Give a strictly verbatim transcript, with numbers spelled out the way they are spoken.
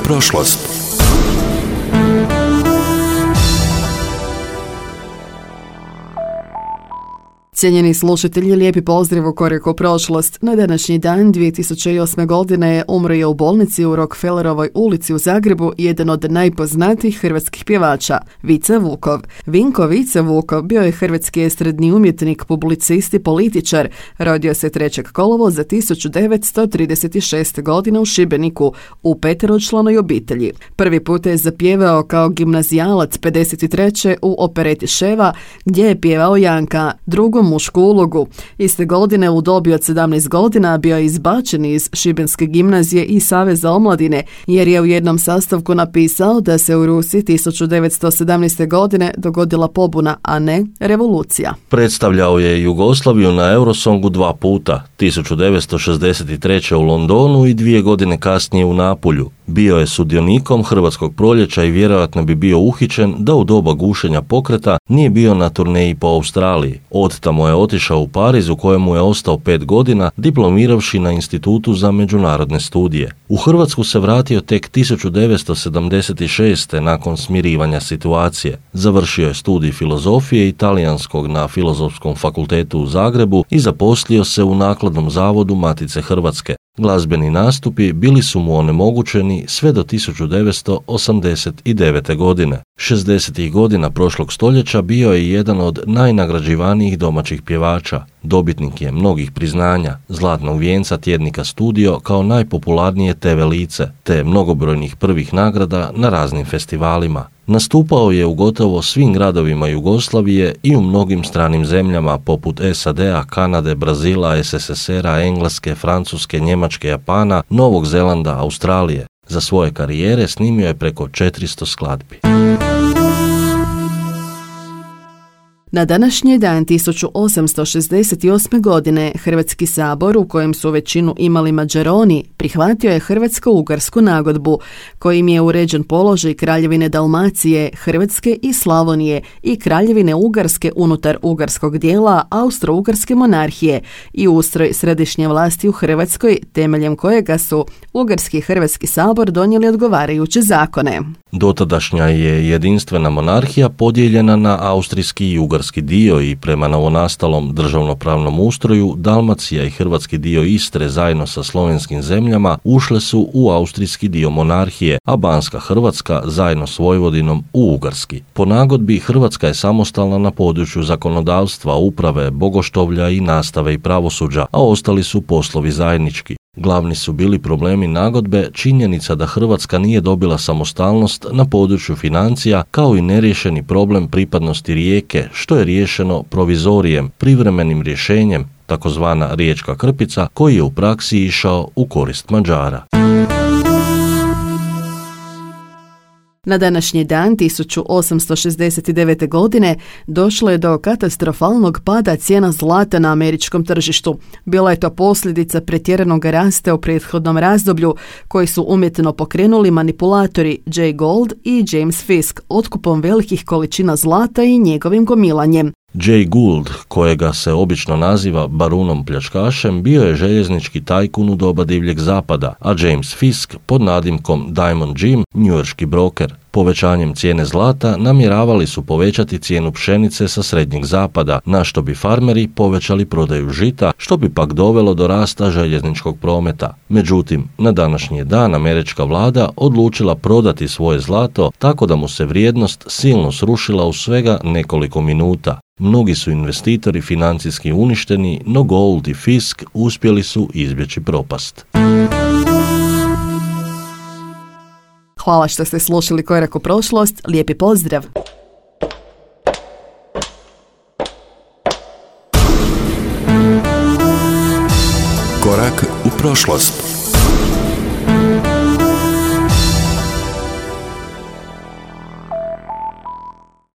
prošlost. Cijenjeni slušatelji, lijepi pozdrav u Korak u prošlost. Na današnji dan dvije tisuće osme. godine umro je u bolnici u Rockefellerovoj ulici u Zagrebu jedan od najpoznatijih hrvatskih pjevača, Vice Vukov. Vinko Vice Vukov bio je hrvatski estradni umjetnik, publicist i političar. Rodio se trećeg kolovoza tisuću devetsto trideset šeste. godine u Šibeniku u peteročlanoj obitelji. Prvi put je zapjevao kao gimnazijalac pedeset treće. u opereti Ševa, gdje je pjevao Janka, drugom mušku ulogu. Iste godine u dobi od sedamnaest godina bio je izbačen iz Šibenske gimnazije i Saveza omladine, jer je u jednom sastavku napisao da se u Rusiji tisuću devetsto sedamnaeste. godine dogodila pobuna, a ne revolucija. Predstavljao je Jugoslaviju na Eurosongu dva puta, tisuću devetsto šezdeset treće. u Londonu i dvije godine kasnije u Napulju. Bio je sudionikom Hrvatskog proljeća i vjerojatno bi bio uhićen da u doba gušenja pokreta nije bio na turneji po Australiji. Od tamo je otišao u Pariz, u kojemu je ostao pet godina, diplomiravši na Institutu za međunarodne studije. U Hrvatsku se vratio tek tisuću devetsto sedamdeset šeste. nakon smirivanja situacije. Završio je studij filozofije i talijanskog na Filozofskom fakultetu u Zagrebu i zaposlio se u Nakladnom zavodu Matice Hrvatske. Glazbeni nastupi bili su mu onemogućeni sve do tisuću devetsto osamdeset devete. godine. šezdesetih godina prošlog stoljeća bio je jedan od najnagrađivanijih domaćih pjevača. Dobitnik je mnogih priznanja, zlatnog vijenca tjednika Studio kao najpopularnije te ve lice, te mnogobrojnih prvih nagrada na raznim festivalima. Nastupao je u gotovo svim gradovima Jugoslavije i u mnogim stranim zemljama poput es a de a, Kanade, Brazila, es es es era, Engleske, Francuske, Njemačke, Japana, Novog Zelanda, Australije. Za svoje karijere snimio je preko četiristo skladbi. Na današnji dan tisuću osamsto šezdeset osme. godine Hrvatski sabor, u kojem su većinu imali Mađaroni, prihvatio je Hrvatsko-ugarsku nagodbu, kojim je uređen položaj Kraljevine Dalmacije, Hrvatske i Slavonije i Kraljevine Ugarske unutar ugarskog dijela Austro-Ugarske monarhije i ustroj središnje vlasti u Hrvatskoj, temeljem kojega su Ugarski i Hrvatski sabor donijeli odgovarajuće zakone. Dotadašnja je jedinstvena monarhija podijeljena na austrijski i ugarski dio i prema novonastalom državnopravnom ustroju Dalmacija i hrvatski dio Istre zajedno sa slovenskim zemljama ušle su u austrijski dio monarhije, a Banska Hrvatska zajedno s Vojvodinom u ugarski. Po nagodbi Hrvatska je samostalna na području zakonodavstva, uprave, bogoštovlja i nastave i pravosuđa, a ostali su poslovi zajednički. Glavni su bili problemi nagodbe činjenica da Hrvatska nije dobila samostalnost na području financija, kao i neriješeni problem pripadnosti Rijeke, što je riješeno provizorijem, privremenim rješenjem, takozvana Riječka krpica, koji je u praksi išao u korist Mađara. Na današnji dan tisuću osamsto šezdeset devete. godine došlo je do katastrofalnog pada cijena zlata na američkom tržištu. Bila je to posljedica pretjeranog rasta u prethodnom razdoblju koji su umjetno pokrenuli manipulatori Jay Gould i James Fisk otkupom velikih količina zlata i njegovim gomilanjem. Jay Gould, kojega se obično naziva barunom pljačkašem, bio je željeznički tajkun u doba divljeg zapada, a James Fisk pod nadimkom Diamond Jim, njujorški broker. Povećanjem cijene zlata namjeravali su povećati cijenu pšenice sa srednjeg zapada, na što bi farmeri povećali prodaju žita, što bi pak dovelo do rasta željezničkog prometa. Međutim, na današnji dan američka vlada odlučila prodati svoje zlato tako da mu se vrijednost silno srušila u svega nekoliko minuta. Mnogi su investitori financijski uništeni, no Gould i Fisk uspjeli su izbjeći propast. Hvala što ste slušali Korak u prošlost, lijepi pozdrav! Korak u prošlost.